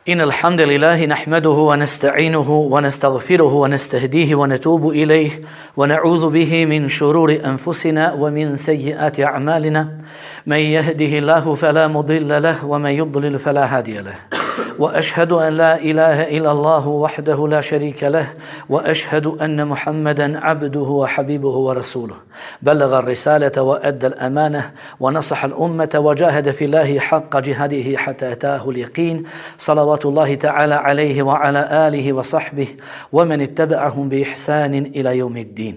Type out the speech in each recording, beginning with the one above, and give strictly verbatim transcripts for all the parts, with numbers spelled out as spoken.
إن الحمد لله نحمده ونستعينه ونستغفره ونستهديه ونتوب إليه ونعوذ به من شرور أنفسنا ومن سيئات أعمالنا من يهده الله فلا مضل له ومن يضلل فلا هادي له وأشهد أن لا إله إلا الله وحده لا شريك له وأشهد أن محمدا عبده وحبيبه ورسوله بلغ الرسالة وأدى الأمانة ونصح الأمة وجاهد في الله حق جهاده حتى أتاه اليقين صلوات الله تعالى عليه وعلى آله وصحبه ومن اتبعهم بإحسان إلى يوم الدين.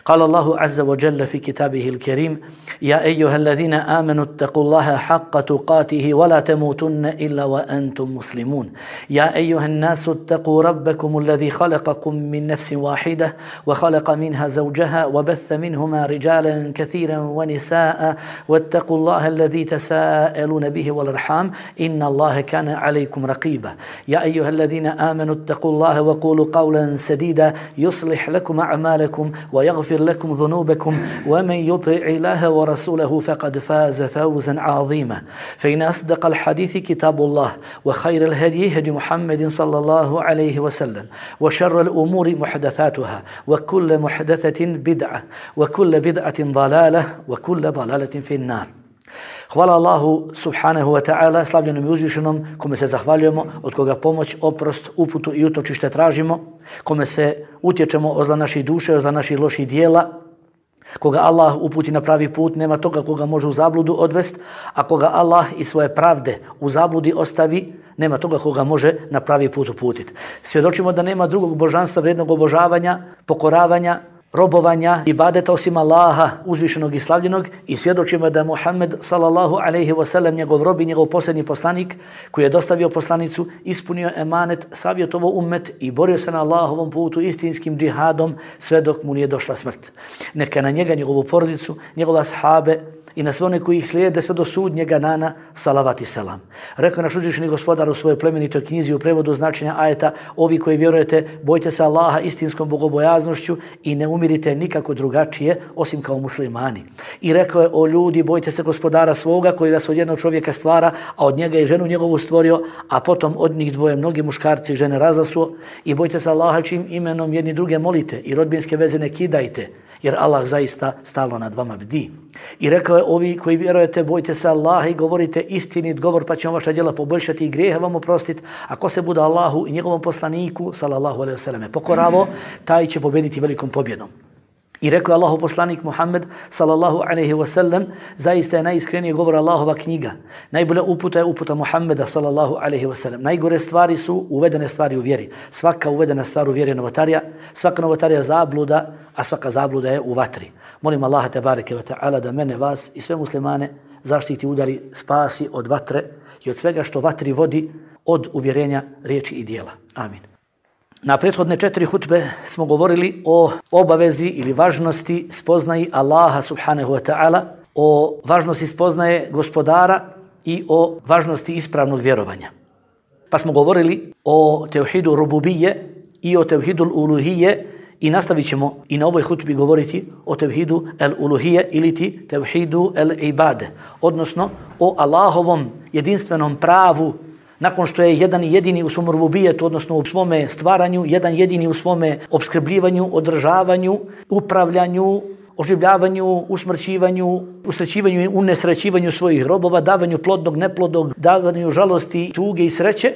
قال الله عز وجل في كتابه الكريم: يا أيها الذين آمنوا اتقوا الله حق تقاته ولا تموتن إلا وأنتم مسلمون. يا أيها الناس اتقوا ربكم الذي خلقكم من نفس واحدة وخلق منها زوجها وبث منهما رجالا كثيرا ونساء واتقوا الله الذي تساءلون به والأرحام إن الله كان عليكم رقيبا. يا أيها الذين آمنوا اتقوا الله وقولوا قولا سديدا يصلح لكم أعمالكم ويغفر لكم ذنوبكم ومن يطع الله ورسوله فقد فاز فوزا عظيما. فإن أصدق الحديث كتاب الله وخير الهدي هدي محمد صلى الله عليه وسلم وشر الأمور محدثاتها وكل محدثة بدعة وكل بدعة ضلالة وكل ضلالة في النار. Hvala Allahu subhanahu wa ta'ala, slavljenom i uzvišenom, kome se zahvaljujemo, od koga pomoć, oprost, uputu i utočište tražimo, kome se utječemo od zla naših duše, od zla naših loših dijela, koga Allah uputi na pravi put, nema toga koga može u zabludu odvest, a koga Allah i svoje pravde u zabludi ostavi, nema toga koga može na pravi put uputiti. Svjedočimo da nema drugog božanstva vrijednog obožavanja, pokoravanja, robovanja, ibadeta osim Allaha uzvišenog i slavljenog, i svjedočimo da je Muhammed sallallahu alejhi ve sellem njegov rob i njegov posljednji poslanik koji je dostavio poslanicu, ispunio emanet, savjetovao ummet i borio se na Allahovom putu istinskim džihadom sve dok mu nije došla smrt. Neka na njega, njegovu porodicu, njegove ashabe i na sve one koji ih slijede sve do sudnjega dana salavat i selam. Rekao naš uzvišeni gospodar u svojoj plemenitoj knjizi u prevodu značenja ajeta: ovi koji vjerujete, bojte se Allaha istinskom bogobojaznošću i ne umirite nikako drugačije osim kao muslimani. I rekao je: o ljudi, bojte se gospodara svoga koji vas od jednog čovjeka stvara, a od njega i ženu njegovu stvorio, a potom od njih dvoje mnogi muškarci i žene razasuo. I bojte se Allaha čijim imenom jedni druge molite i rodbinske veze ne kidajte, jer Allah zaista stalno nad vama bdi. I rekao je: ovi koji vjerujete, bojte se Allaha i govorite istinit govor, pa će on vaša djela poboljšati i grijehe vam oprostiti. Ako se bude Allahu i njegovom poslaniku sallallahu alejhi ve selleme pokoravo, taj će pobjediti velikom pobjedom. I rekao je Allahu poslanik Muhammed sallallahu alejhi ve sellem: zaista je najiskreniji govor Allahova knjiga. Najbolja uputa je uputa Muhammeda sallallahu alejhi ve sellem. Najgore stvari su uvedene stvari u vjeri. Svaka uvedena stvar u vjeri je novotarija, svaka novotarija zabluda, a svaka zabluda je u vatri. Molim Allaha tebareke ve ta'ala da mene, vas i sve muslimane zaštiti, udali, spasi od vatre i od svega što vatri vodi, od uvjerenja, riječi i dijela. Amin. Na prethodne četiri hutbe smo govorili o obavezi ili važnosti spoznaji Allaha subhanahu wa ta'ala, o važnosti spoznaje gospodara i o važnosti ispravnog vjerovanja. Pa smo govorili o tevhidu rububije i o tevhidu uluhije i nastavit ćemo i na ovoj hutbi govoriti o tevhidu el-uluhije ili ti tevhidu el-ibade, odnosno o Allahovom jedinstvenom pravu. Nakon što je jedan jedini u svom rububijetu, odnosno u svome stvaranju, jedan jedini u svome opskrbljivanju, održavanju, upravljanju, oživljavanju, usmrćivanju, usrećivanju i unesrećivanju svojih robova, davanju plodnog, neplodnog, davanju žalosti, tuge i sreće.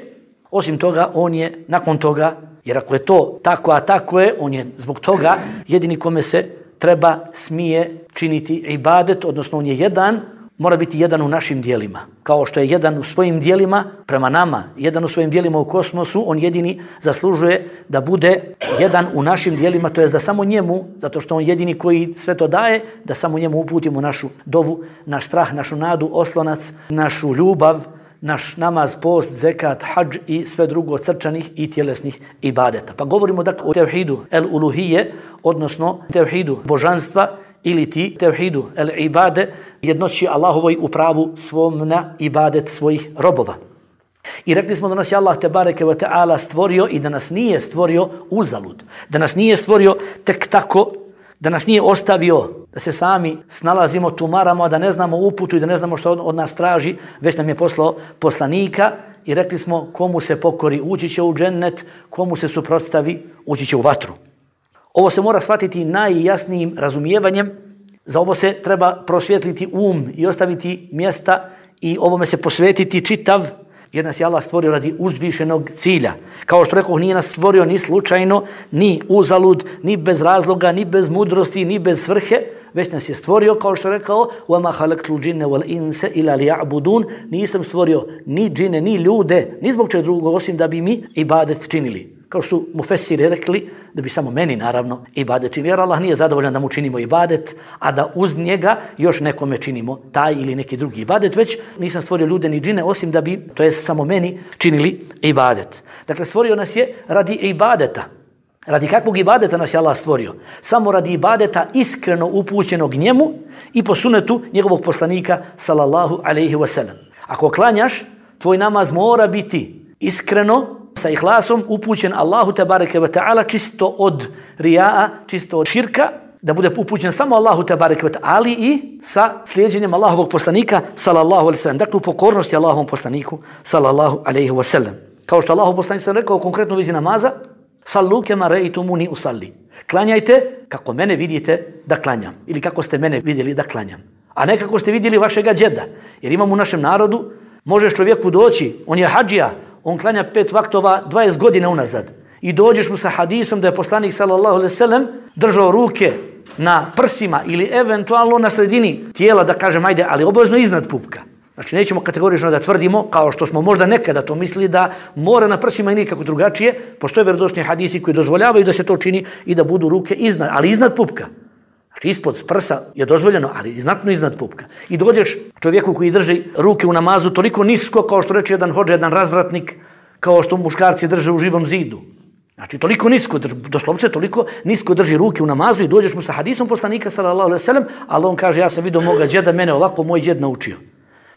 Osim toga, on je nakon toga, jer ako je to tako, a tako je, on je zbog toga jedini kome se treba, smije činiti ibadet, odnosno on je jedan, mora biti jedan u našim dijelima. Kao što je jedan u svojim dijelima prema nama, jedan u svojim dijelima u kosmosu, on jedini zaslužuje da bude jedan u našim dijelima, to je da samo njemu, zato što on jedini koji sve to daje, da samo njemu uputimo našu dovu, naš strah, našu nadu, oslonac, našu ljubav, naš namaz, post, zekat, hadž i sve drugo od srčanih i tjelesnih ibadeta. Pa govorimo dakle o tevhidu el-uluhije, odnosno tevhidu božanstva, ili ti tevhidu el-ibade, jednoći Allahovoj u pravu svom na ibadet svojih robova. I rekli smo da nas je Allah tebareke ve ta'ala stvorio i da nas nije stvorio uzalud, da nas nije stvorio tek tako, da nas nije ostavio da se sami snalazimo, tumaramo, da ne znamo uputu i da ne znamo što od nas traži, već nam je poslao poslanika i rekli smo komu se pokori ući će u džennet, komu se suprotstavi ući će u vatru. Ovo se mora shvatiti najjasnijim razumijevanjem, za ovo se treba prosvjetliti um i ostaviti mjesta i ovome se posvetiti čitav, jer nas je Allah stvorio radi uzvišenog cilja. Kao što rekao, nije nas stvorio ni slučajno, ni uzalud, ni bez razloga, ni bez mudrosti, ni bez svrhe, već nas je stvorio, kao što je rekao, وَمَا خَلَقْتُ الْجِنَّ وَالْإِنسَ إِلَّا لِيَعْبُدُونَ, nisam stvorio ni džine, ni ljude, ni zbog čega drugog, osim da bi mi ibadet činili. Kao što su mufesiri rekli, da bi samo meni naravno ibadet činili, jer Allah nije zadovoljan da mu činimo ibadet, a da uz njega još nekome činimo taj ili neki drugi ibadet, već nisam stvorio ljude ni džine, osim da bi, to jest samo meni, činili ibadet. Dakle, stvorio nas je radi ibadeta. Radi kakvog ibadeta nas je Allah stvorio? Samo radi ibadeta iskreno upućenog njemu i po sunetu njegovog poslanika sallallahu alejhi ve sellem. Ako klanjaš, tvoj namaz mora biti iskreno, sa ihlasom, upućen Allahu tebareke ve ta'ala, čisto od rija'a, čisto od širka, da bude upućen samo Allahu tebareke ve ta'ala, ali i sa slijedjenjem Allahovog poslanika sallallahu alejhi ve sellem. Dakle, u pokornosti Allahovom poslaniku sallallahu alejhi ve sellem. Kao što Allahov poslanik sam rekao konkretno u vezi namaza, sallu kema ra'aytumuni usalli. Klanjajte kako mene vidite da klanjam, ili kako ste mene vidjeli da klanjam, a ne kako ste vidjeli vašega džeda. Jer imamo u našem narodu, možeš čovjeku doći, on je hadžija, on klanja pet vaktova dvadeset godina unazad i dođeš mu sa hadisom da je poslanik sallallahu alejhi ve sellem držao ruke na prsima ili eventualno na sredini tijela, da kažem ajde, ali obavezno iznad pupka. Znači nećemo kategorično da tvrdimo, kao što smo možda nekada to mislili, da mora na prsima i nikako drugačije. Postoje vjerodostojni hadisi koji dozvoljavaju da se to čini i da budu ruke iznad, ali iznad pupka. Znači ispod prsa je dozvoljeno, ali znatno iznad pupka. I dođeš čovjeku koji drži ruke u namazu toliko nisko, kao što reče jedan hodža, jedan razvratnik, kao što muškarci drže u živom zidu. Znači toliko nisko, doslovce toliko nisko drži ruke u namazu i dođeš mu sa hadisom poslanika sallallahu alejhi ve sellem, ali on kaže ja sam vidio moga džeda, mene ovako moj džed naučio.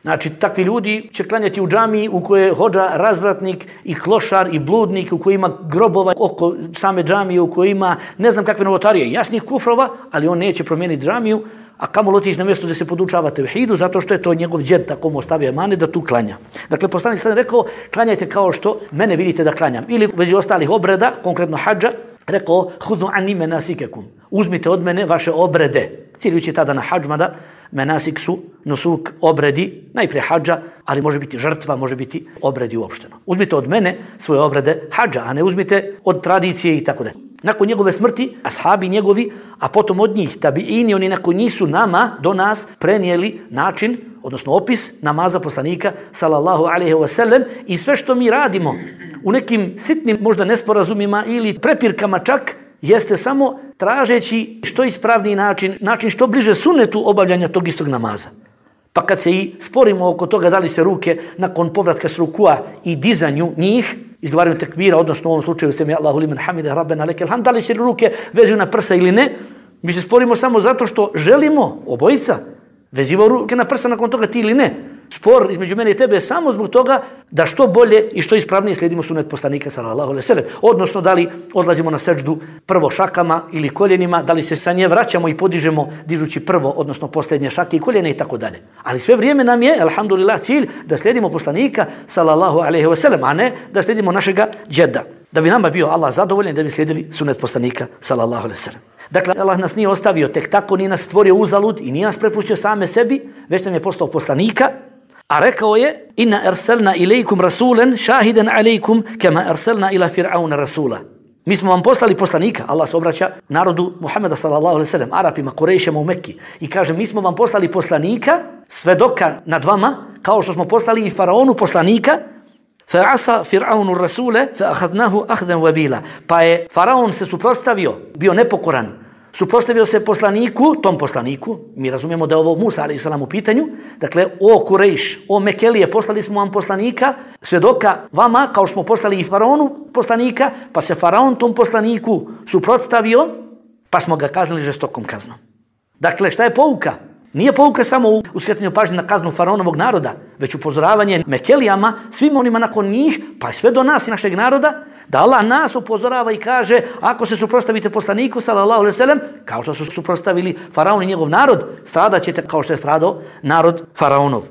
Znači, takvi ljudi će klanjati u džamiji u kojoj je hodža razvratnik i klošar i bludnik, u kojoj ima grobova oko same džamije, u kojoj ima ne znam kakve novotarije, jasnih kufrova, ali on neće promijeniti džamiju, a kamo otići na mjesto gdje se podučava tevhidu, zato što je to njegov džed tako mu ostavio emane da tu klanja. Dakle, poslanik sad rekao, klanjajte kao što mene vidite da klanjam. Ili u vezi ostalih obreda, konkretno hadža, rekao, hudu anni menasikekum, uzmite od mene vaše obrede. Ciljujući tada na hadž, mada menasik su nusuk, obredi, najprije hadža, ali može biti žrtva, može biti obredi uopšteno. Uzmite od mene svoje obrede hadža, a ne uzmite od tradicije i tako da. Nakon njegove smrti, ashabi njegovi, a potom od njih tabiini, oni nakon njih su nama, do nas, prenijeli način, odnosno opis namaza poslanika, sallallahu alejhi ve sellem, i sve što mi radimo u nekim sitnim možda nesporazumima ili prepirkama čak, jeste samo tražeći što ispravniji način, način što bliže sunnetu obavljanja tog istog namaza. Pa kad se i sporimo oko toga da li se ruke nakon povratka s rukua i dizanju njih, izgovaranju tekbira, odnosno u ovom slučaju semi Allahu limen hamide rabbena lekel hamd, da li se ruke vezuju na prsa ili ne, mi se sporimo samo zato što želimo obojica vezivao ruke na prsa nakon toga ti ili ne. Spor između mene i tebe je samo zbog toga da što bolje i što ispravnije slijedimo sunnet poslanika sallallahu alejhi ve sellem. Odnosno da li odlazimo na sećdu prvo šakama ili koljenima, da li se sa nje vraćamo i podižemo dižući prvo, odnosno posljednje šake i koljene i tako dalje. Ali sve vrijeme nam je, alhamdulillah, cilj da slijedimo poslanika sallallahu alejhi ve sellem, a ne da slijedimo našega džeda. Da bi nama bio Allah zadovoljan, da bi slijedili sunnet poslanika sallallahu alejhi ve sellem. Dakle, Allah nas nije ostavio tek tako, nije nas stvorio uzalud i nije nas prepustio same sebi, već nam je postao poslanika. A rekao je, inna arsalna ilaikum rasulan shahidan alaikum kama arsalna ila fir'auna rasula. Mi smo vam poslali poslanika, Allah se obraća narodu Muhameda sallallahu alejhi ve sellem, Arapima, Kurejšima u Mekki, i kaže mi smo vam poslali poslanika, svedoka nad vama, kao što smo poslali i faraonu poslanika, fa asa fir'aunu rasule fa akhadnahu akhdan wabila. Pa je faraon se suprotstavio, bio nepokoran, suprotstavio se poslaniku, tom poslaniku, mi razumijemo da je ovo Musa alejhi selam u pitanju, dakle, o Kurejš, o Mekelije, poslali smo vam poslanika, svedoka vama, kao što smo poslali i faraonu poslanika, pa se faraon tom poslaniku suprotstavio, pa smo ga kaznili žestokom kaznom. Dakle, šta je pouka? Nije pouka samo u uskretanju pažnje na kaznu faraonovog naroda, već upozoravanje Mekelijama, svim onima nakon njih, pa sve do nas i našeg naroda, da Allah nas upozorava i kaže, ako se suprotstavite poslaniku, sallallahu alejhi ve sellem, kao što su suprotstavili faraon i njegov narod, stradat ćete kao što je stradao narod faraonov.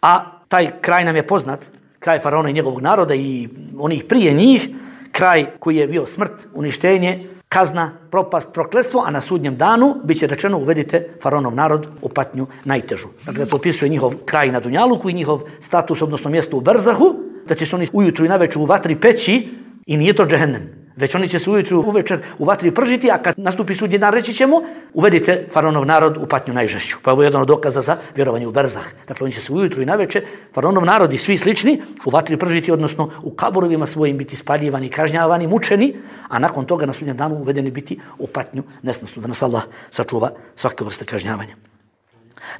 A Taj kraj nam je poznat, kraj faraona i njegovog naroda i onih prije njih, kraj koji je bio smrt, uništenje, kazna, propast, prokletstvo, a na sudnjem danu bit će rečeno uvedite faraonov narod u patnju najtežu. Dakle, da se opisuje njihov kraj na Dunjaluku i njihov status, odnosno mjesto u Berzahu, da će se oni ujutru i navečer u vatri peći i nije to džehennem. Već oni će se ujutru uvečer u vatri pržiti, a kad nastupi sudnji dan reći ćemo uvedite faraonov narod u patnju najžešću. Pa ovo je jedan od dokaza za vjerovanje u Berzah. Dakle, oni će se ujutru i navečer, faraonov narod i svi slični, u vatri pržiti, odnosno u kaburovima svojim biti spaljivani, kažnjavani, mučeni, a nakon toga na sudnjem danu uvedeni biti u patnju nesnosnu. Da nas Allah sačuva svake vrste kažnjavanja.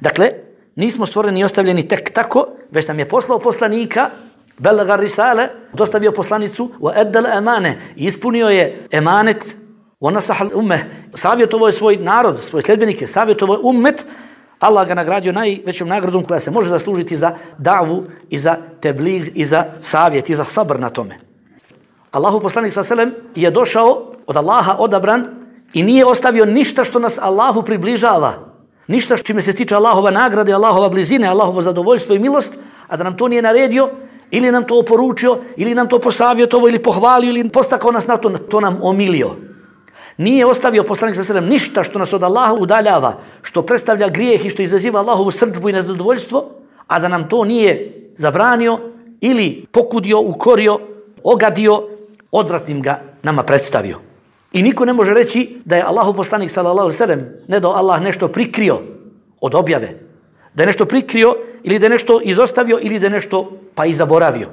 Dakle, nismo stvoreni i ostavljeni tek tako, već nam je poslao poslanika, Belaga risale, dostavio poslanicu, wa eddal emane, ispunio je emanet, wa nasahal ummeh, savjetovao je svoj narod, svoje sljedbenike, savjetovao je ummet, Allah ga nagradio najvećom nagradom koja se može zaslužiti za davu i za teblig i za savjet i za sabr na tome. Allahu poslanik sallallahu alejhi ve sellem je došao od Allaha odabran i nije ostavio ništa što nas Allahu približava, ništa čime se stiče Allahova nagrade, Allahova blizine, Allahovo zadovoljstvo i milost, a da nam to nije naredio, ili nam to oporučio, ili nam to posavjetovao, ili pohvalio, ili postakao nas na to, to nam omilio. Nije ostavio poslanik sallallahu alejhi ve sellem ništa što nas od Allaha udaljava, što predstavlja grijeh i što izaziva Allahovu srdžbu i nezadovoljstvo, a da nam to nije zabranio ili pokudio, ukorio, ogadio, odvratnim ga nama predstavio. I niko ne može reći da je Allahov poslanik sallallahu alejhi ve sellem ne da Allah nešto prikrio od objave, da je nešto prikrio ili da je nešto izostavio ili da je nešto pa i zaboravio.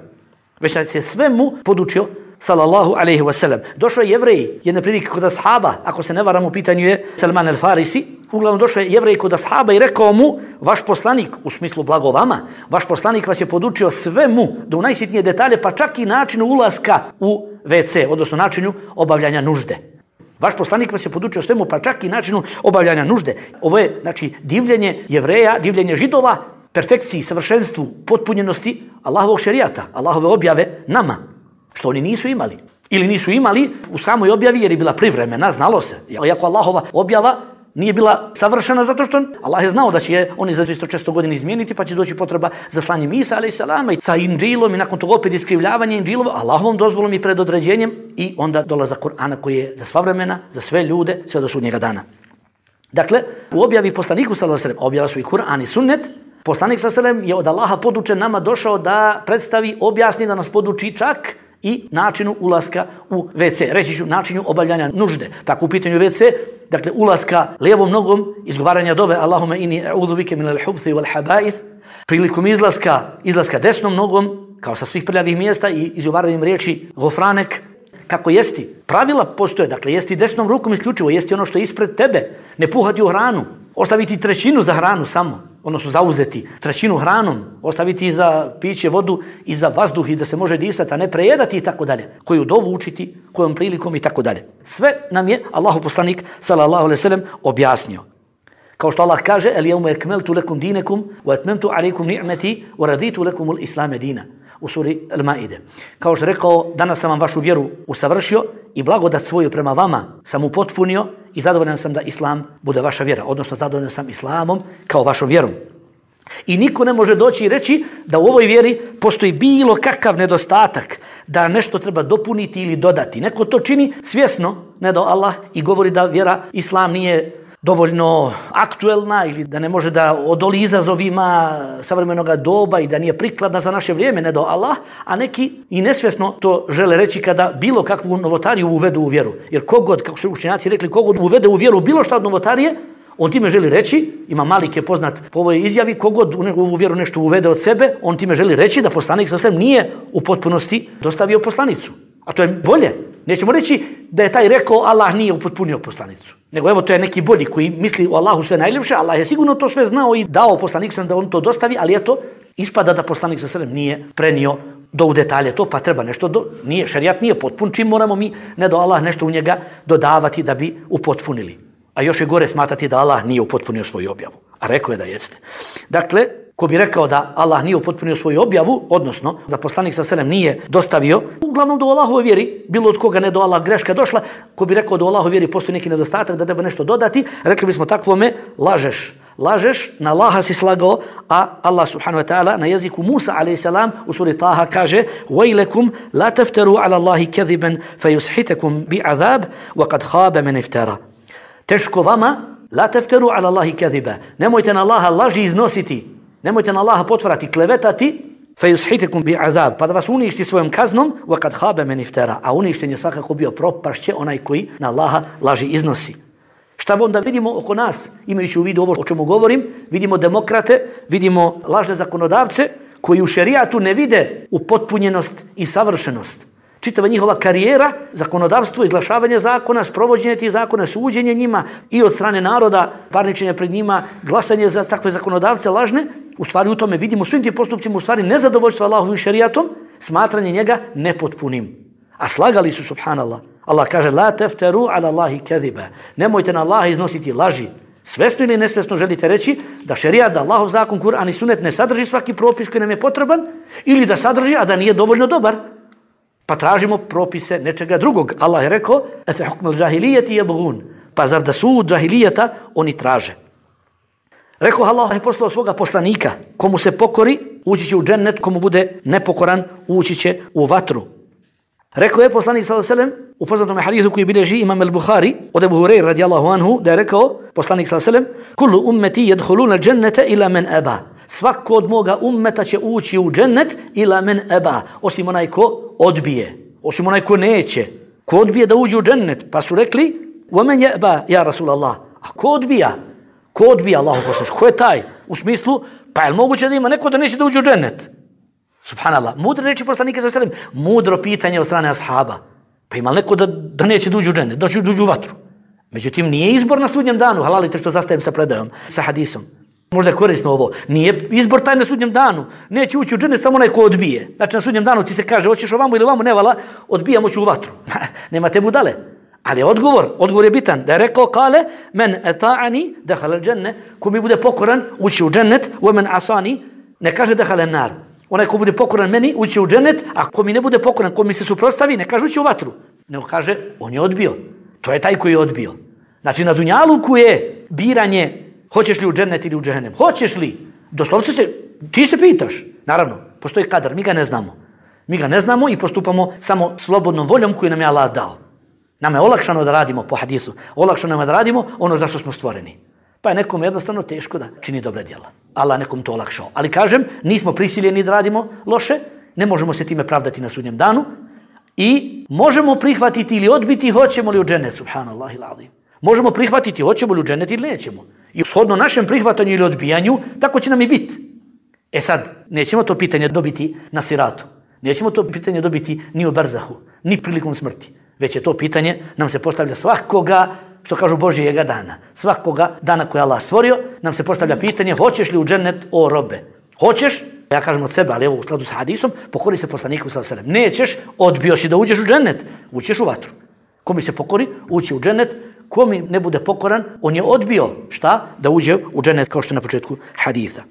Već da se sve mu podučio sallallahu alejhi ve sellem. Došao je Jevrej jedne prilike kod ashaba, ako se ne varam u pitanju je Salman el-Farisi, uglavnom došao je Jevrej kod ashaba i rekao mu, vaš poslanik, u smislu blago vama, vaš poslanik vas je podučio sve mu do u najsitnije detalje, pa čak i načinu ulaska u ve ce, odnosno načinu obavljanja nužde. Vaš poslanik vas je podučio svemu, pa čak i načinu obavljanja nužde. Ovo je, znači, divljenje Jevreja, divljenje Židova, perfekciji, savršenstvu, potpunjenosti Allahovog šerijata, Allahove objave nama, što oni nisu imali. Ili nisu imali u samoj objavi jer je bila privremena, znalo se. Iako Allahova objava nije bila savršena zato što Allah je znao da će je oni za dvjesto često godina izmijeniti, pa će doći potreba za slanjem Isa alejhi selam i sa Inđilom i nakon toga opet iskrivljavanje Inđilova, Allahovom dozvolom i predodređenjem i onda dolazak Kur'ana koji je za sva vremena, za sve ljude, sve do sudnjega dana. Dakle, u objavi poslaniku sallallahu alejhi ve sellem, objava su i Kur'an i sunnet, poslanik sallallahu alejhi ve sellem je od Allaha podučen nama došao da predstavi, objasni, da nas poduči čak i načinu ulaska u ve ce. Reći ću načinu obavljanja nužde. Tako u pitanju ve ce, dakle ulaska lijevom nogom, izgovaranja dove Allahume inni a'udhu bike minal hubthi wal habaith, prilikom izlaska, izlaska desnom nogom, kao sa svih prljavih mjesta i izgovaranjem riječi gofranek, kako jesti. Pravila postoje, dakle jesti desnom rukom isključivo, jesti ono što je ispred tebe, ne puhati u hranu, ostaviti trećinu za hranu samo, odnosno zauzeti trećinu hranom, ostaviti za piće vodu i za vazduh i da se može disati, a ne prejedati i tako dalje. Koju dovu učiti, kojom prilikom i tako dalje. Sve nam je Allahov poslanik sallallahu alejhi ve sellem objasnio. Kao što Allah kaže: "El yawma akmaltu lakum dinakum wa atmamtu alaykum ni'mati wa raditu lakum al-islam dina." U suri Al-Maide. Kao što je rekao, danas sam vam vašu vjeru usavršio i blagodat svoju prema vama sam upotpunio i zadovoljan sam da Islam bude vaša vjera, odnosno zadovoljan sam Islamom kao vašom vjerom. I niko ne može doći i reći da u ovoj vjeri postoji bilo kakav nedostatak, da nešto treba dopuniti ili dodati. Neko to čini svjesno, ne do Allah, i govori da vjera Islam nije dovoljno aktuelna ili da ne može da odoli izazovima savremenog doba i da nije prikladna za naše vrijeme, ne do Allah, a neki i nesvjesno to žele reći kada bilo kakvu novotariju uvedu u vjeru. Jer kogod, kako su učenjaci rekli, kogod uvede u vjeru bilo šta od novotarije, on time želi reći, ima Malik je poznat po ovoj izjavi, kogod u vjeru nešto uvede od sebe, on time želi reći da poslanik sasvim nije u potpunosti dostavio poslanicu. A to je bolje. Nećemo reći da je taj rekao Allah nije upotpunio poslanicu. Nego evo to je neki bolji koji misli o Allahu sve najljepše. Allah je sigurno to sve znao i dao poslanik sam da on to dostavi, ali eto, ispada da poslanik sa sredem nije prenio do u detalje to, pa treba nešto, do, nije, šerijat nije potpun, čim moramo mi, ne do Allah, nešto u njega dodavati da bi upotpunili. A još je gore smatrati da Allah nije upotpunio svoju objavu. A rekao je da jeste. Dakle, ko bi rekao da Allah nije upotpunio svoju objavu, odnosno da poslanik sa selem nije dostavio, uglavnom do Allahove vjeri, bilo od koga ne do Allah greška došla, ko bi rekao da u Allahove vjeri postoji neki nedostatak, da treba nešto dodati, rekli bismo takvome, lažeš. lažeš, na Allaha si slagao, a Allah subhanahu wa ta'ala na jeziku Musa alejhi salam u suri Taha kaže: "Vejlekum la taftaru ala Allahi kadhiban fayushitakum bi'adhab wa qad khaba man iftara." Teško vama, la taftaru ala Allahi kadhiba. Nemojte na Allaha laži iznositi. Nemojte na Allaha potvarati, klevetati. Fayushitakum bi'adhab, pa da vas uništi svojom kaznom, wa qad khaba man iftara. A uništen je svakako bio, propašće onaj koji na Allaha laži iznosi. Šta onda vidimo oko nas, imajući u vidu ovo o čemu govorim? Vidimo demokrate, vidimo lažne zakonodavce koji u šerijatu ne vide upotpunjenost i savršenost. Čitava njihova karijera, zakonodavstvo, izglašavanje zakona, sprovođenje tih zakona, suđenje njima i od strane naroda, parničenje pred njima, glasanje za takve zakonodavce lažne, u stvari u tome vidimo svim tim postupcima u stvari nezadovoljstvo Allahovim šerijatom, smatranje njega nepotpunim. A slagali su, subhanallah. Allah kaže: "La taftaru ala Allahi kadhiba." Nemojte na Allaha iznositi laži. Svesno ili nesvesno želite reći da šerijat, da Allahov zakon, Kur'an i sunnet ne sadrži svaki propis koji nam je potreban, ili da sadrži, a da nije dovoljno dobar. Pa tražimo propise nečega drugog. Allah je rekao: "Afa hukmul džahilijeti yabghun." Pa zar da sud džahilijeta oni traže. Rekao Allah je poslao svoga poslanika, komu se pokori, ući će u džennet, komu bude nepokoran, ući će u vatru. Rekao je poslanik sallallahu alejhi ve sellem u poznatom hadisu koji bilježi Imam al-Buhari od Ebu Hurajre radijallahu anhu, da je rekao poslanik sallallahu alejhi ve sellem: "Kullu ummeti yadkhuluna al-jannata ila man aba." Svako od moga ummeta će ući u džennet ila man aba, osim onaj ko odbije, osim onaj ko neće. Ko odbije da uđe u džennet? Pa su rekli: "Wa man yaba ya Rasulallah." A ko odbija? Ko odbija, Allahu poslanik? Ko je taj? U smislu, pa je li moguće da ima neko da neće da uđe u džennet? Subhanallah, mudre reči poslanika sallallahu alejhi ve sellem, mudro pitanje od strane ashaba. Pa ima neko da, da neće da uđe u džennet, da će da uđe u vatru. Međutim, nije izbor na sudnjem danu, halalite što zastajem sa predajom, sa hadisom. Možda je korisno ovo. Nije izbor taj na sudnjem danu. Neće ući u džennet samo onaj ko odbije. Znači na sudnjem danu ti se kaže: "Hoćeš ovamo ili ovamo, ne vala, odbijamo ću u vatru." Nema te budale. Ali odgovor, odgovor je bitan. Da je rekao: "Kale, men eta'ani dakhala al-dženne." Ko mi bude pokoran, ući u džennet, wa men asani, ne kaže dakhala an-nar. Onaj ko bude pokoran meni, ući u džennet, a ko mi ne bude pokoran, ko mi se suprotstavi, ne kaže ući u vatru. Nego kaže, on je odbio. To je taj koji je odbio. Znači na dunjaluku je biranje hoćeš li u džennet ili u džehennem. Hoćeš li? Doslovce se, ti se pitaš. Naravno, postoji kadar, mi ga ne znamo. Mi ga ne znamo i postupamo samo slobodnom voljom koju nam je Allah dao. Nama je olakšano da radimo po hadisu. Olakšano nam je da radimo ono za što smo stvoreni. Pa je nekom jednostavno teško da čini dobre djela. Allah nekom to olakšao. Ali kažem, nismo prisiljeni da radimo loše, ne možemo se time pravdati na sudnjem danu i možemo prihvatiti ili odbiti hoćemo li u džennet, subhanallahi l'azim. Možemo prihvatiti hoćemo li u džennet ili nećemo. I shodno našem prihvatanju ili odbijanju, tako će nam i biti. E sad, nećemo to pitanje dobiti na siratu. Nećemo to pitanje dobiti ni u barzahu, ni prilikom smrti. Već je to pitanje nam se postavlja svakoga, što kažu Božijega dana. Svakoga dana koje Allah stvorio, nam se postavlja pitanje: hoćeš li u džennet, o robe? Hoćeš? Ja kažem od sebe, ali evo u skladu sa hadisom, pokori se poslaniku sallallahu alejhi ve sellem. Nećeš, odbio si da uđeš u džennet, ućeš u vatru. Ko mi se pokori, ući u džennet. Ko mi ne bude pokoran, on je odbio, šta? Da uđe u džennet, kao što je na početku haditha.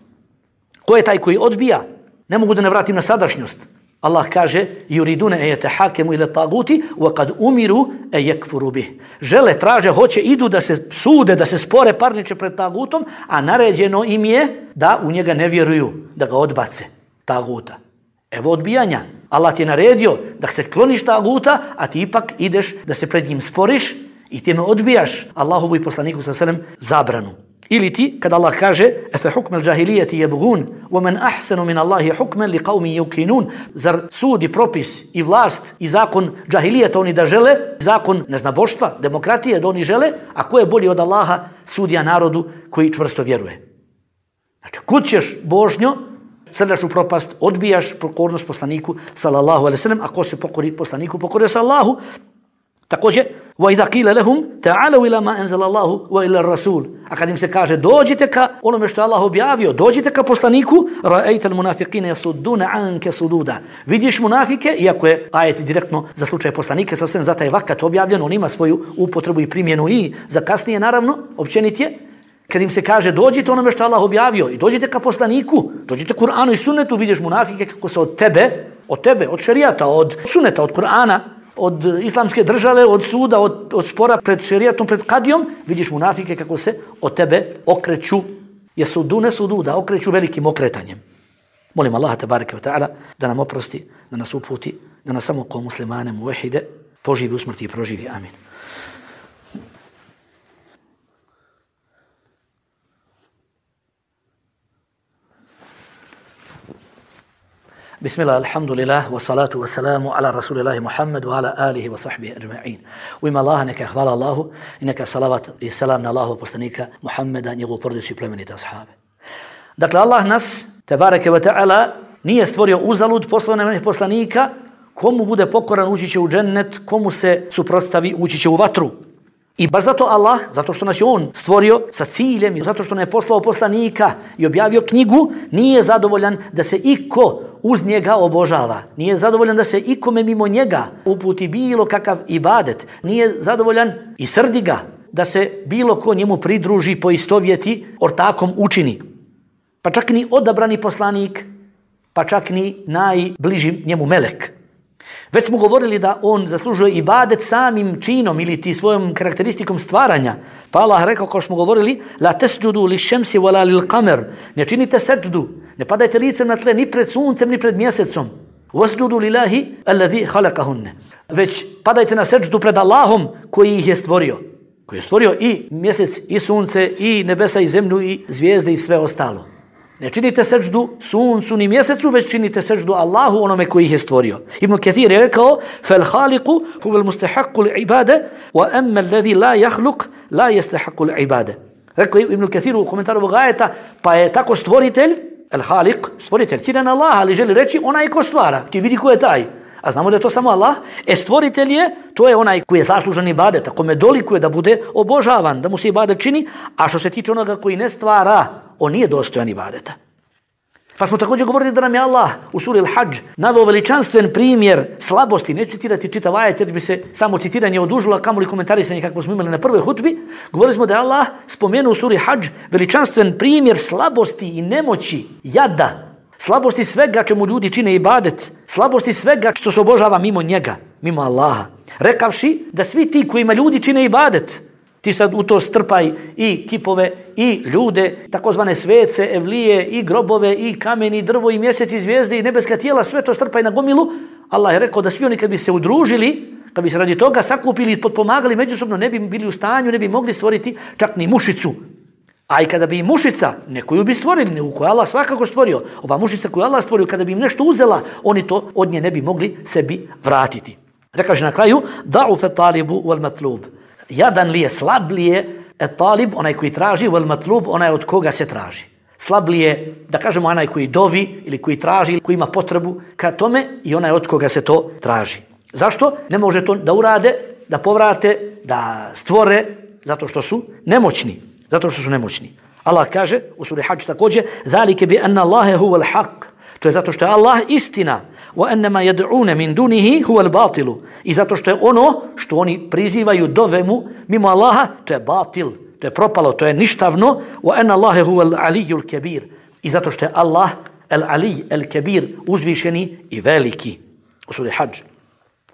Ko je taj koji odbija? Ne mogu da ne vratim na sadašnjost. Allah kaže: yuriduna an yatahakamu ila taguti wa qad umiru an yakfuru bih. Žele, traže, hoće, idu da se sude, da se spore, parniče pred tagutom, a naređeno im je da u njega ne vjeruju, da ga odbace, taguta. Evo odbijanja. Allah ti je naredio da se kloniš taguta, a ti ipak ideš da se pred njim sporiš i time odbijaš Allahovu i poslaniku sallallahu alejhi ve sellem zabranu. Ili ti, kada Allah kaže: "Afa hukmul džahilijeti yabghun, wa man ahsanu min Allahi hukman liqaumin yuqinun." Zar sud i propis i vlast i zakon džahilijeta oni da žele, zakon neznaboštva, demokratije da oni žele, a ko je bolji od Allaha, sudija narodu koji čvrsto vjeruje. Znači, kud ćeš, božnjo, srdaš u propast, odbijaš pokornost poslaniku sallallahu alejhi ve sellem, a ko se pokori poslaniku, pokorio se Allahu. Također, وَإِذَا قِيلَ لَهُمْ تَعَالَوْا إِلَى مَا أَنزَلَ اللَّهُ وَإِلَى الرَّسُولِ. A kad im se kaže dođite ka onome što je Allah objavio, dođite ka poslaniku, رَأَيْتَ الْمُنَافِقِينَ يَصُدُّونَ عَنْكَ صُدُودًا. Vidiš munafike, iako je ajet direktno za slučaj poslanike, sasvim za taj vakat objavljen, on ima svoju upotrebu i primjenu i za kasnije, naravno, općenit je. Kad im se kaže dođite onome što je Allah objavio i dođite ka poslaniku, dođite Kur'anu i sunnetu, vidiš munafike kako se od tebe, od tebe, od šerijata, od sunneta, od Kur'ana, od islamske države, od suda, od, od spora pred šerijatom, pred kadijom, vidiš munafike kako se od tebe okreću. jesudune sududa, okreću velikim okretanjem. Molim Allaha tebareke ve ta'ala da nam oprosti, da nas uputi, da nas samo kao muslimane muvehide poživi u smrti i proživi. Amin. Bismillah, alhamdulillah, wa salatu wa salamu ala rasulillahi Muhammedu, ala alihi wa sahbihi ajma'in. U ime Allaha neka hvala Allahu i neka salavat i salam na Allahu poslanika Muhammeda, njegovu porodicu i plemenite ashabe. Dakle, Allah nas, tebareke ve ta'ala, nije stvorio uzalud, poslao nam poslanika, komu bude pokoran ući će u džennet, komu se suprotstavi ući će u vatru. I baš zato Allah, zato što nas je On stvorio sa ciljem i zato što nam je poslao poslanika i objavio knjigu, nije zadovoljan da se iko uz njega obožava. Nije zadovoljan da se ikome mimo njega uputi bilo kakav ibadet. Nije zadovoljan i srdi ga da se bilo ko njemu pridruži, poistovjeti, ortakom učini. Pa čak ni odabrani poslanik, pa čak ni najbliži njemu melek. Već smo govorili da on zaslužuje ibadet samim činom ili ti svojom karakteristikom stvaranja. Pa Allah rekao, kao što smo govorili, la tesđudu li šemsi wala lil kamer. Ne činite seđdu, ne padajte licem na tle ni pred suncem ni pred mjesecom. Wasđudu lillahi alladhi khalaqahunne. Već padajte na seđdu pred Allahom koji ih je stvorio. Koji je stvorio i mjesec i sunce i nebesa i zemlju i zvijezde i sve ostalo. Ne činite seđdu suncu ni mjesecu, već činite seđdu Allahu, onome koji ih je stvorio. Ibn Kathir je rekao, fel haliku huvel mustahaqqu li ibade, wa amma alladhi la yakhluq la yastahaqqu li ibade. Rekao Ibn Kathir u komentaru ovog ajeta, pa je tako stvoritelj, el halik, stvoritelj, ciljan Allah, ali želi reći onaj ko stvara. Ti vidi ko je taj. A znamo da je to samo Allah. E stvoritelj je, to je onaj koji je zaslužan ibadeta, kome dolikuje da bude obožavan, da mu se ibadet čini, a što se tiče onoga koji ne stvara, on nije dostojan ibadeta. Pa smo također govorili da nam je Allah u suri Al-Hajj naveo veličanstven primjer slabosti. Neću citirati čitav ajet jer bi se samo citiranje odužilo, a kamoli komentarisanje kako smo imali na prvoj hutbi. Govorili smo da je Allah spomenuo u suri Hajj veličanstven primjer slabosti i nemoći, jada, slabosti svega čemu ljudi čine ibadet, slabosti svega što se obožava mimo njega, mimo Allaha. Rekavši da svi ti kojima ljudi čine ibadet, ti sad u to strpaj i kipove, i ljude, takozvane svece, evlije, i grobove, i kamen, i drvo, i mjesec, i zvijezde, i nebeska tijela, sve to strpaj na gomilu. Allah je rekao da svi oni kad bi se udružili, kad bi se radi toga sakupili i potpomagali međusobno, ne bi bili u stanju, ne bi mogli stvoriti čak ni mušicu. A i kada bi i mušica, nekoju bi stvorili, neku koju Allah svakako stvorio, ova mušica koju Allah stvorio, kada bi im nešto uzela, oni to od nje ne bi mogli sebi vratiti. Rekaže na kraju, da'u fe talibu wal matlub. Jadan li je, slab li je, et talib, onaj koji traži, wal matlub, onaj od koga se traži. Slab li je, da kažemo, onaj koji dovi, ili koji traži, ili koji ima potrebu ka tome, i onaj od koga se to traži. Zašto? Ne može to da urade, da povrate, da stvore, zato što su nemoćni. Zato što su nemoćni. Allah kaže u suri Hajj također, zalike bi anna Allahe huwal haq. To je zato što je Allah istina. Wa annama yad'una min dunihi huwal batilu. I zato što je ono što oni prizivaju dovemu mimo Allaha, to je batil, to je propalo, to je ništavno. Wa anna Allahe huwal aliyyul kabir. I zato što je Allah el ali el kabir, uzvišeni i veliki. U suri Hajj.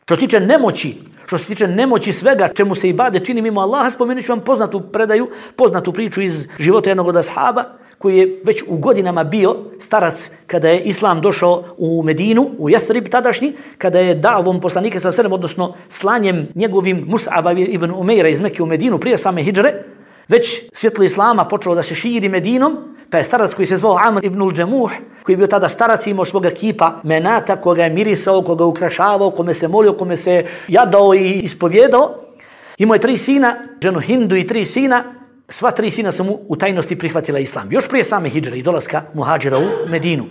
Što se tiče nemoći, što se tiče nemoći svega čemu se ibadet čini mimo Allaha, spomenut ću vam poznatu predaju, poznatu priču iz života jednog od ashaba, koji je već u godinama bio starac kada je Islam došao u Medinu, u Yathrib tadašnji, kada je davom poslanika sa selem, odnosno slanjem njegovim Mus'aba ibn Umeira iz Mekke u Medinu prije same hidžre, već svjetlo Islama počelo da se širi Medinom, pa je starac koji se zvao Amr ibn al-Jamuh, koji je bio tada starac i imao svoga kipa Menata, koga je mirisao, koga je ukrašavao, kome se molio, kome se jadao i ispovjedao. Imao je tri sina, ženu Hindu i tri sina. Sva tri sina su mu u tajnosti prihvatila Islam. Još prije same hidžre i dolaska muhađira u Medinu.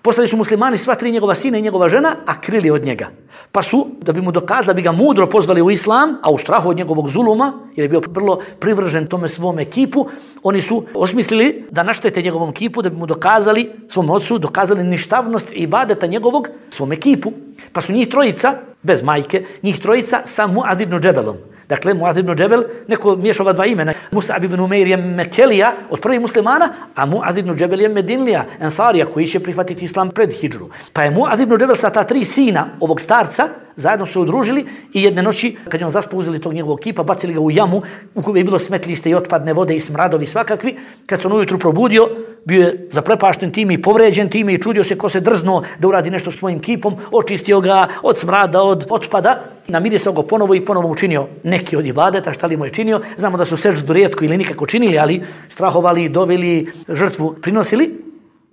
Postali su muslimani sva tri njegova sina i njegova žena, a krili od njega. Pa su, da bi mu dokazali, da bi ga mudro pozvali u Islam, a u strahu od njegovog zuluma, jer je bio vrlo privržen tome svom ekipu, oni su osmislili da naštete njegovom kipu, da bi mu dokazali, svom ocu, dokazali ništavnost i ibadeta njegovog svom ekipu. Pa su njih trojica, bez majke, njih trojica sa Mu'ad ibn Džebelom. Dakle, Muaz ibn Džebel, neko miješa ova dva imena. Mus'ab ibn Umeir je Mekelija od prvih muslimana, a Muaz ibn Džebel je Medinlija, Ensarija, koji će prihvatiti islam pred hidžru. Pa je Muaz ibn Džebel sa ta tri sina ovog starca zajedno se udružili i jedne noći, kad je on zaspao, uzeli tog njegovog kipa, bacili ga u jamu u kojoj je bilo smetliste i otpadne vode i smradovi svakakvi. Kad se on ujutru probudio, bio je zaprepašten time i povređen time i čudio se ko se drznuo da uradi nešto s svojim kipom, očistio ga od smrada, od otpada, namirisao ga ponovo i ponovo učinio neki od ibadeta, šta li mu je činio. Znamo da su seždu rijetko ili nikako činili, ali strahovali, doveli, žrtvu prinosili.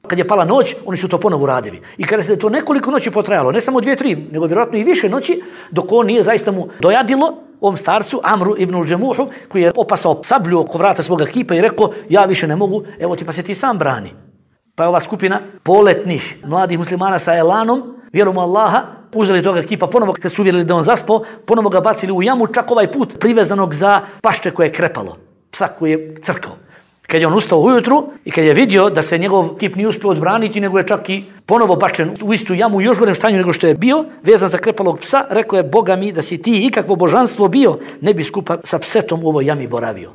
Kad je pala noć, oni su to ponovo uradili. I kada se to nekoliko noći potrajalo, ne samo dvije, tri, nego vjerojatno i više noći, dok on nije zaista mu dojadilo, ovom starcu, Amru ibn al-Džemuhu, koji je opasao sablju oko vrata svoga kipa i rekao, ja više ne mogu, evo ti pa se ti sam brani. Pa je ova skupina poletnih mladih muslimana sa elanom, vjerom u Allaha, uzeli toga kipa ponovo, kad su uvjerili da on zaspao, ponovo ga bacili u jamu, čak ovaj put privezanog za pašče koje je krepalo, psa koji je crkao. Kad je on ustao ujutru i kad je vidio da se njegov kip nije uspio odbraniti, nego je čak i ponovo bačen u istu jamu u još gorem stanju nego što je bio, vezan za krepalog psa, rekao je, Boga mi, da si ti ikakvo božanstvo bio, ne bi skupa sa psetom u ovoj jami boravio.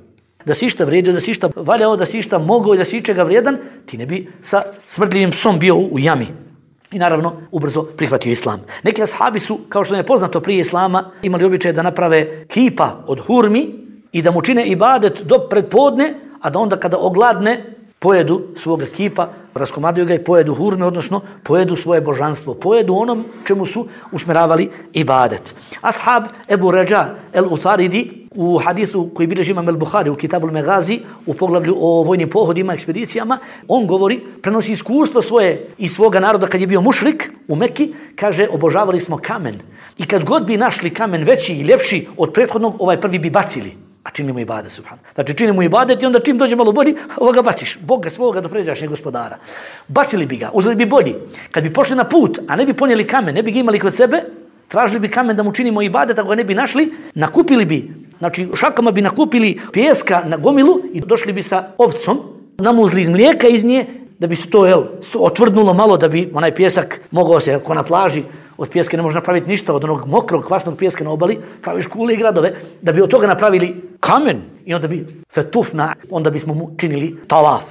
Da si išta vrijedio, da si išta valjao, da si išta mogao i da si ičega vrijedan, ti ne bi sa smrdljivim psom bio u jami. I naravno, ubrzo prihvatio islam. Neki ashabi su, kao što je poznato prije islama, imali običaj da naprave kipa od hurmi i da mu čine ibadet do predpodne, a da onda kada ogladne, pojedu svoga kipa, raskomaduju ga i pojedu hurme, odnosno pojedu svoje božanstvo, pojedu onom čemu su usmjeravali ibadet. Ashab Ebu Ređa el-Utaridi u hadisu koji bilježi imam el-Buhari u Kitabul Megazi, u poglavlju o vojnim pohodima, ekspedicijama, on govori, prenosi iskustvo svoje i svoga naroda kad je bio mušrik u Mekki, kaže, obožavali smo kamen. I kad god bi našli kamen veći i ljepši od prethodnog, ovaj prvi bi bacili. A činimo ibadet, subhan. Znači činimo ibadet i onda čim dođe malo bolji, ovoga baciš. Boga svoga do pređašnjeg gospodara. Bacili bi ga, uzeli bi bolji. Kad bi pošli na put, a ne bi ponijeli kamen, ne bi ga imali kod sebe, tražili bi kamen da mu činimo ibadet, ako ga ne bi našli, nakupili bi, znači šakama bi nakupili pijeska na gomilu i došli bi sa ovcom, namuzli iz mlijeka iz nje, da bi se to, jel, otvrdnulo malo, da bi onaj pijesak mogao se, ako na plaži, od pijeska ne može napraviti ništa, od onog mokrog, kvasnog pijeska na obali, praviš kule i gradove, da bi od toga napravili kamen i onda bi fetufna, onda bismo mu činili talaf.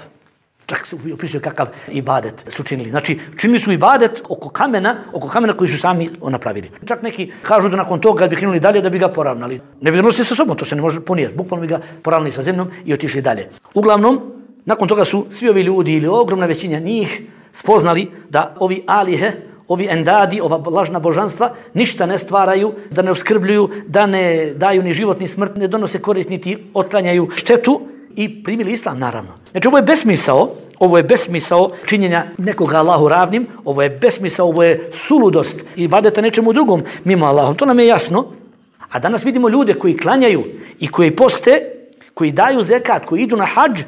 Čak se opisuje kakav ibadet su činili. Znači, činili su ibadet oko kamena, oko kamena koji su sami napravili. Čak neki kažu da nakon toga kad bi krenuli dalje da bi ga poravnali. Ne bi ga nosili sa sobom, to se ne može ponijeti. Bukvalno bi ga poravnali sa zemljom i otišli dalje. Uglavnom, nakon toga su svi ovi ljudi ili ogromna većina njih spoznali da ovi alihe, ovi endadi, ova lažna božanstva, ništa ne stvaraju, da ne oskrbljuju, da ne daju ni život ni smrt, ne donose korist niti otklanjaju štetu i primili islam, naravno. Znači, ovo je besmisao, ovo je besmisao činjenja nekoga Allahu ravnim, ovo je besmisao, ovo je suludost i ibadeta nečemu drugom mimo Allahom, to nam je jasno. A danas vidimo ljude koji klanjaju i koji poste, koji daju zekat, koji idu na hadž,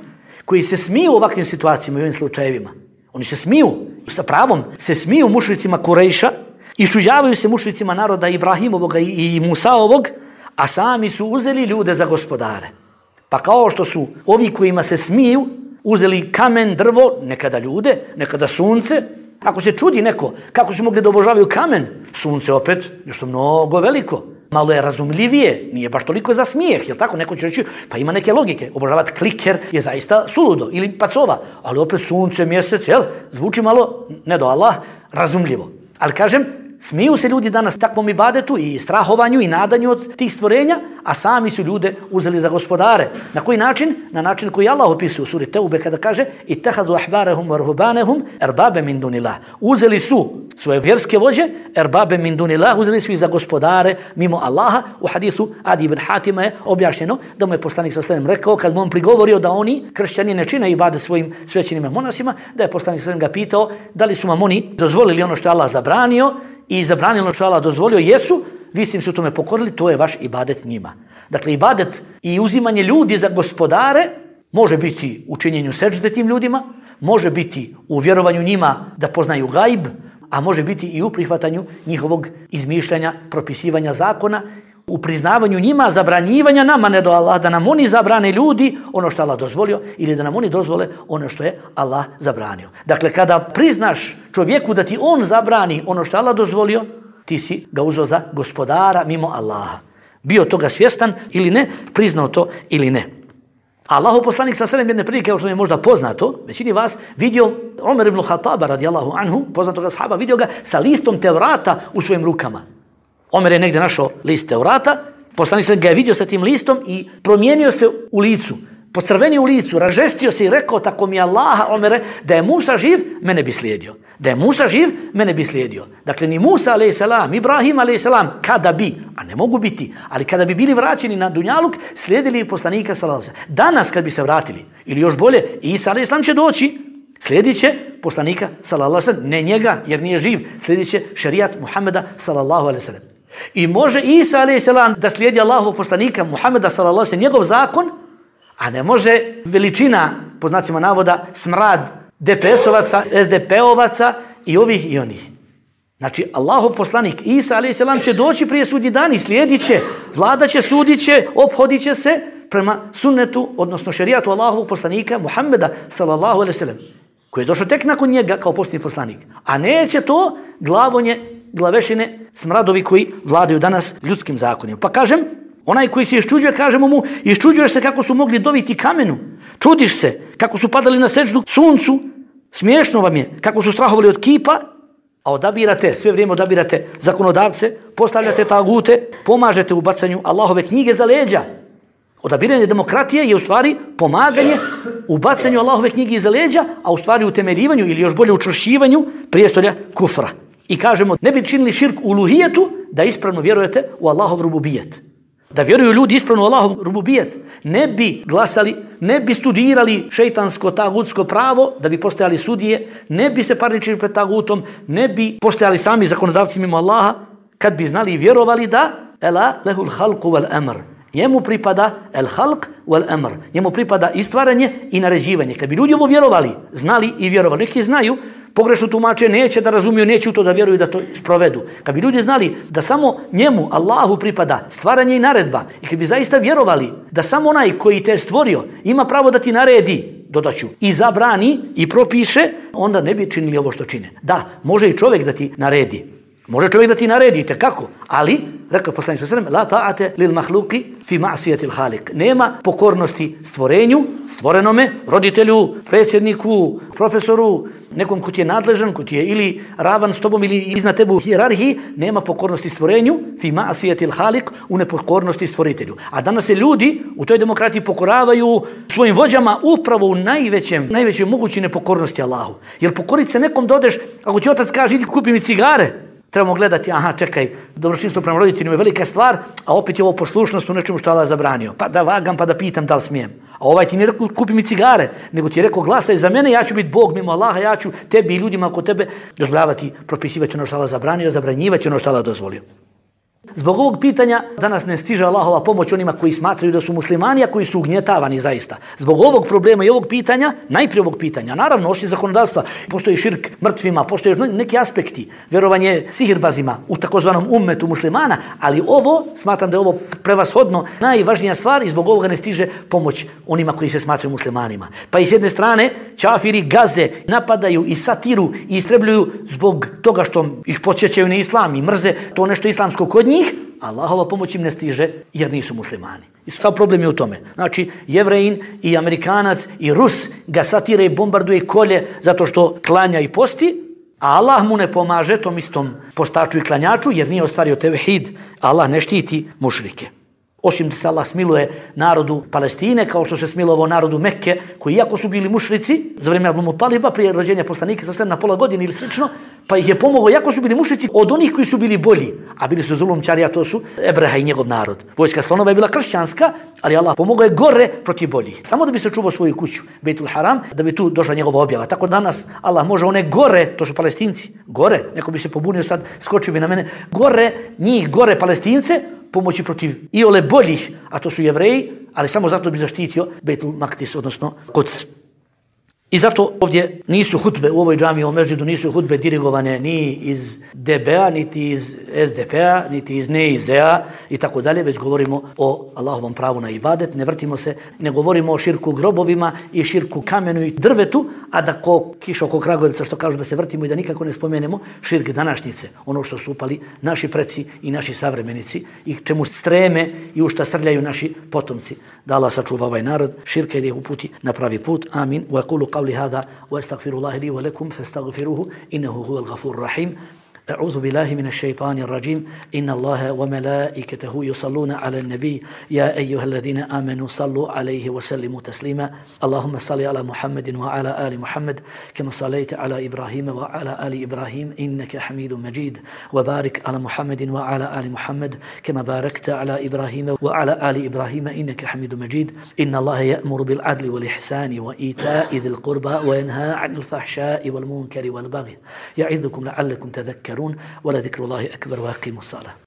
koji se smiju u ovakvim situacijama i ovim slučajevima. Oni se smiju, sa pravom, se smiju mušricima Kurejša, iščuđavaju se mušricima naroda Ibrahimovoga i Musaovog, a sami su uzeli ljude za gospodare. Pa kao što su ovi kojima se smiju uzeli kamen, drvo, nekada ljude, nekada sunce. Ako se čudi neko kako su mogli da obožavaju kamen, sunce opet nešto mnogo veliko. Malo je razumljivije, nije baš toliko za smijeh, jel tako? Neko će reći, pa ima neke logike. Obožavati kliker je zaista suludo ili pacova, ali opet sunce, mjesec, jel? Zvuči malo, ne do Allah, razumljivo. Ali kažem, smiju se ljudi danas takvom ibadetu i strahovanju i nadanju od tih stvorenja, a sami su ljude uzeli za gospodare. Na koji način? Na način koji Allah opisuje u suri Teube kada kaže ittakhadhu ahbarahum wa ruhbanahum erbabe min dunillah. Uzeli su svoje vjerske vođe, erbabe min dunillah, uzeli su ih za gospodare mimo Allaha. U hadisu Adi ibn Hatima je objašnjeno da mu je poslanik sallallahu alejhi ve sellem rekao kad mu on prigovorio da oni kršćani ne čine ibadet svojim svećenim monasima, da je poslanik sallallahu alejhi ve sellem ga pitao da li su vam oni dozvolili ono što je Allah zabranio i zabranilo ono što je Allah dozvolio, jesu, vi ste im se u tome pokorili, to je vaš ibadet njima. Dakle, ibadet i uzimanje ljudi za gospodare može biti u činjenju seđde tim ljudima, može biti u vjerovanju njima da poznaju gajb, a može biti i u prihvatanju njihovog izmišljanja, propisivanja zakona, u priznavanju njima, zabranjivanja nama, ne do Allah, da nam oni zabrane ljudi ono što Allah dozvolio ili da nam oni dozvole ono što je Allah zabranio. Dakle, kada priznaš čovjeku da ti on zabrani ono što Allah dozvolio, ti si ga uzeo za gospodara mimo Allaha. bio toga svjestan ili ne, priznao to ili ne. Allahu poslanik sa selem jedne prilike, kao što je možda poznato, većini vas vidio Omer ibn Khattaba radijallahu anhu, poznatoga sahaba, vidio ga sa listom Tevrata u svojim rukama. Omer je negdje našao list Tevrata, poslanik sa ga je vidio sa tim listom i promijenio se u licu, pocrvenio u licu, ražestio se i rekao, tako mi Allaha, Omere, da je Musa živ, mene bi slijedio. Da je Musa živ, mene bi slijedio. Dakle, ni Musa alejhi selam, Ibrahim alejhi selam, kada bi, a ne mogu biti, ali kada bi bili vraćeni na dunjaluk, slijedili poslanika sallallahu alejhi ve sellem. Danas kad bi se vratili, ili još bolje, Isa alejhi selam će doći, slijedit će poslanika sallallahu alejhi ve sellem, ne njega jer nije živ, slijedit će šerijat Muhameda sallallahu alejhi ve sellem. I može Isa alejhi selam da slijedi Allahovog poslanika Muhameda sallallahu alejhi ve sellem, njegov zakon, a ne može veličina, pod znacima navoda, smrad D P S-ovaca, S D P-ovaca i ovih i onih. Znači, Allahov poslanik Isa alejhi selam će doći prije sudnji dan i slijedit će, vladat će, sudit će, ophodit će se prema sunnetu, odnosno šerijatu Allahovog poslanika Muhammeda sallallahu alejhi ve sellem, koji je došao tek nakon njega kao posljednji poslanik. A neće to glavonje, glavešine, smradovi koji vladaju danas ljudskim zakonima. Pa kažem, onaj koji se iščuđuje, kažemo mu, iščuđuješ se kako su mogli doviti kamenu. Čudiš se kako su padali na sećdu suncu. Smiješno vam je kako su strahovali od kipa, a odabirate, sve vrijeme odabirate zakonodavce, postavljate tagute, pomažete u bacanju Allahove knjige za leđa. Odabiranje demokratije je u stvari pomaganje u bacanju Allahove knjige iza leđa, a u stvari utemeljivanju ili još bolje učvršćivanju prijestolja kufra. I kažemo, ne bi činili širk u uluhijetu da ispravno vjerujete u Allahov rububijet. Da vjeruju ljudi ispravno u Allahov rububijet, ne bi glasali, ne bi studirali šeitansko tagutsko pravo da bi postojali sudije, ne bi se parničili pred tagutom, ne bi postojali sami zakonodavci mimo Allaha, kad bi znali i vjerovali da ela lehul halku wal amr. Njemu pripada el halk wal amr. Njemu pripada i stvaranje i naređivanje. Kad bi ljudi ovo vjerovali, znali i vjerovali, neki znaju, pogrešno tumače, neće da razumiju, neće u to da vjeruju da to sprovedu. Kad bi ljudi znali da samo njemu, Allahu, pripada stvaranje i naredba, i kad bi zaista vjerovali da samo onaj koji te stvorio ima pravo da ti naredi, dodaću, i zabrani i propiše, onda ne bi činili ovo što čine. Da, može i čovjek da ti naredi. Može čovjek da ti naredi, kako? Ali, rekao poslanik sallallahu alejhi ve sellem, la ta'ate lil mahluki fi ma'siyatil khaliq. Nema pokornosti stvorenju, stvorenome, roditelju, predsjedniku, profesoru, nekom ko ti je nadležan, ko ti je ili ravan s tobom ili iznad tebe u hijerarhiji, nema pokornosti stvorenju fi ma'siyatil khaliq, u nepokornosti stvoritelju. A danas se ljudi u toj demokratiji pokoravaju svojim vođama upravo u najvećem, najvećoj mogućoj nepokornosti Allahu. Jer pokorit se nekom dodeš, ako ti otac kaže, idi kupi mi cigare, trebamo gledati, aha, čekaj, dobročinstvo prema roditeljima je velika stvar, a opet je ovo poslušnost u nečemu što Allah zabranio. Pa da vagam, pa da pitam da li smijem. A ovaj ti nije rekao, kupi mi cigare, nego ti je rekao, glasaj za mene, ja ću biti Bog mimo Allaha, ja ću tebi i ljudima oko tebe dozvoljavati, propisivati ono što Allah zabranio, zabranjivati ono što Allah dozvolio. Zbog ovog pitanja danas ne stiže Allahova pomoć onima koji smatraju da su muslimani, a koji su ugnjetavani zaista. Zbog ovog problema i ovog pitanja, najprije ovog pitanja, naravno osim zakonodavstva, postoji širk mrtvima, postoje neki aspekti, vjerovanje sihirbazima u takozvanom ummetu muslimana, ali ovo, smatram da je ovo prevashodno najvažnija stvar i zbog ovoga ne stiže pomoć onima koji se smatraju muslimanima. Pa i s jedne strane, čafiri gaze, napadaju i satiru i istrebljuju zbog toga što ih podsjećaju na islam i mrze to nešto islamsko kod njih, Allahova pomoć im ne stiže jer nisu muslimani. I sav problem je u tome. Znači, Jevrejin i Amerikanac i Rus ga satire i bombarduje i kolje zato što klanja i posti, a Allah mu ne pomaže tom istom postaču i klanjaču jer nije ostvario tevhid. Allah ne štiti mušrike. Osim da se Allah smiluje narodu Palestine, kao što se smilovao narodu Mekke, koji iako su bili mušrici, za vrijeme Abdul Mutaliba, prije rođenja poslanika sa sedam na pola godine ili slično, pa ih je pomogao, iako su bili mušrici, od onih koji su bili bolji, a bili su zulumčari, a to su Ebreha i njegov narod. Vojska slonova je bila kršćanska, ali Allah pomogao je gore protiv boljih. Samo da bi se čuvao svoju kuću, Bejtul Haram, da bi tu došla njegova objava. Tako danas Allah može one gore, to su Palestinci, gore, neko bi se pobunio sad, skočio bi na mene, gore, njih, gore Palestince, pomoći protiv iole boljih, a to su Jevreji, ali samo zato bi zaštitio Bejtul Maktis, odnosno Kuds. I zato ovdje nisu hutbe u ovoj džamiji, u mežđidu nisu hutbe dirigovane ni iz D B-a, niti iz S D P-a, niti iz N E I Z-a i tako dalje, već govorimo o Allahovom pravu na ibadet, ne vrtimo se, ne govorimo o širku grobovima i širku kamenu i drvetu, a da ko kiša oko Kragovica što kažu da se vrtimo i da nikako ne spomenemo širk današnjice, ono što su upali naši preci i naši savremenici i čemu streme i u šta srljaju naši potomci. Da Allah sačuva ovaj narod, širka i da ih uputi na pravi put. Amin. Wa yaqulu qawli hadha wa astaghfirullaha li wa lakum fastaghfiruhu innahu huwal ghafurur rahim. أعوذ بالله من الشيطان الرجيم إن الله وملائكته يصلون على النبي يا أيها الذين آمنوا صلوا عليه وسلموا تسليما اللهم صل على محمد وعلى آل محمد كما صليت على إبراهيم وعلى آل إبراهيم إنك حميد مجيد وبارك على محمد وعلى آل محمد كما باركت على إبراهيم وعلى آل إبراهيم إنك حميد مجيد إن الله يأمر بالعدل والإحسان وإيتاء ذي القربى وينهى عن الفحشاء والمنكر والبغي يعظكم لعلكم تذكرون ولذكر الله أكبر وأقيموا الصلاة